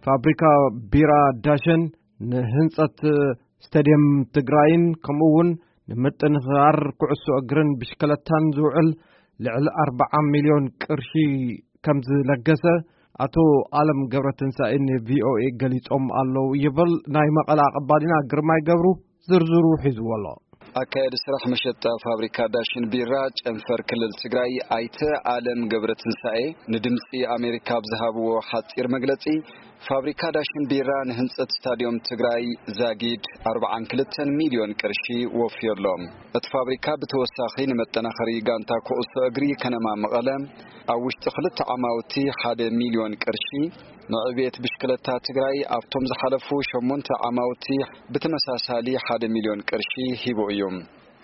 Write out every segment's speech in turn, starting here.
ፋብሪካ ቢራ ዳሸን ንህንጸት ስታድየም ትግራይን ከምኡ እውን ንምጥንኻር ኩዕሶ እግርን ብሽክለታን ዝውዕል ልዕሊ ኣርባዓ ሚልዮን ቅርሺ ከም ዝለገሰ ኣቶ ኣለም ገብረትንሳኤ ን ቪኦኤ ገሊጾም ኣለዉ ይብል ናይ መቐለ ኣቐባሊና ግርማይ ገብሩ። ዝርዝሩ ሒዝዎ ኣሎ። ኣካያዲ ስራሕ መሸጣ ፋብሪካ ዳሽን ቢራ ጨንፈር ክልል ትግራይ ኣይተ ኣለም ገብረትንሳኤ ንድምፂ ኣሜሪካ ኣብ ዝሃብዎ ሓፂር መግለፂ፣ ፋብሪካ ዳሽን ቢራ ንህንፀት ስታድዮም ትግራይ ዛጊድ ኣርባዓን ክልተን ሚልዮን ቅርሺ ወፍዮ ኣሎ። እቲ ፋብሪካ ብተወሳኺ ንመጠናኸሪ ጋንታ ኩዕሶ እግሪ ከነማ መቐለ ኣብ ውሽጢ ክልተ ዓማውቲ ሓደ ሚልዮን ቅርሺ፣ ንዕብየት ብሽክለታ ትግራይ ኣብቶም ዝሓለፉ ሸሞንተ ዓማውቲ ብተመሳሳሊ ሓደ ሚልዮን ቅርሺ ሂቡ እዩ።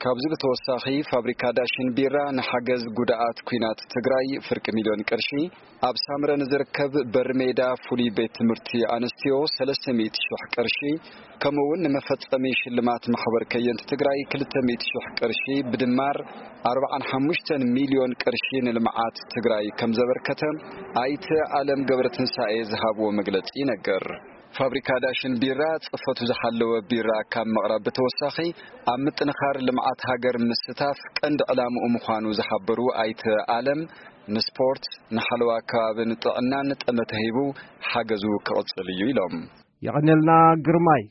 ካብዚ ብተወሳኺ ፋብሪካ ዳሽን ቢራ ንሓገዝ ጉድኣት ኲናት ትግራይ ፍርቂ ሚልዮን ቅርሺ፣ ኣብ ሳምረ ንዝርከብ በሪ ሜዳ ፍሉይ ቤት ትምህርቲ ኣንስትዮ ሰለስተ ሚእቲ ሽሕ ቅርሺ፣ ከምኡ እውን ንመፈጸሚ ሽልማት ማሕበር ከየንቲ ትግራይ ክልተ ሚእቲ ሽሕ ቅርሺ፣ ብድማር ኣርባዓን ሓሙሽተን ሚልዮን ቅርሺ ንልምዓት ትግራይ ከም ዘበርከተ ኣይተ ኣለም ገብረትንሳኤ ዝሃብዎ መግለጺ ይነገር። ፋብሪካ ዳሽን ቢራ ጽፈቱ ዝሓለወ ቢራ ካብ ምቕራብ ብተወሳኺ ኣብ ምጥንኻር ልምዓት ሃገር ምስታፍ ቀንዲ ዕላምኡ ምዃኑ ዝሓበሩ ኣይተ ኣለም፣ ንስፖርት፣ ንሓለዋ ከባብን ጥዕናን ጠመተ ሂቡ ሓገዙ ክቕጽል እዩ ኢሎም። የቐንየልና ግርማይ።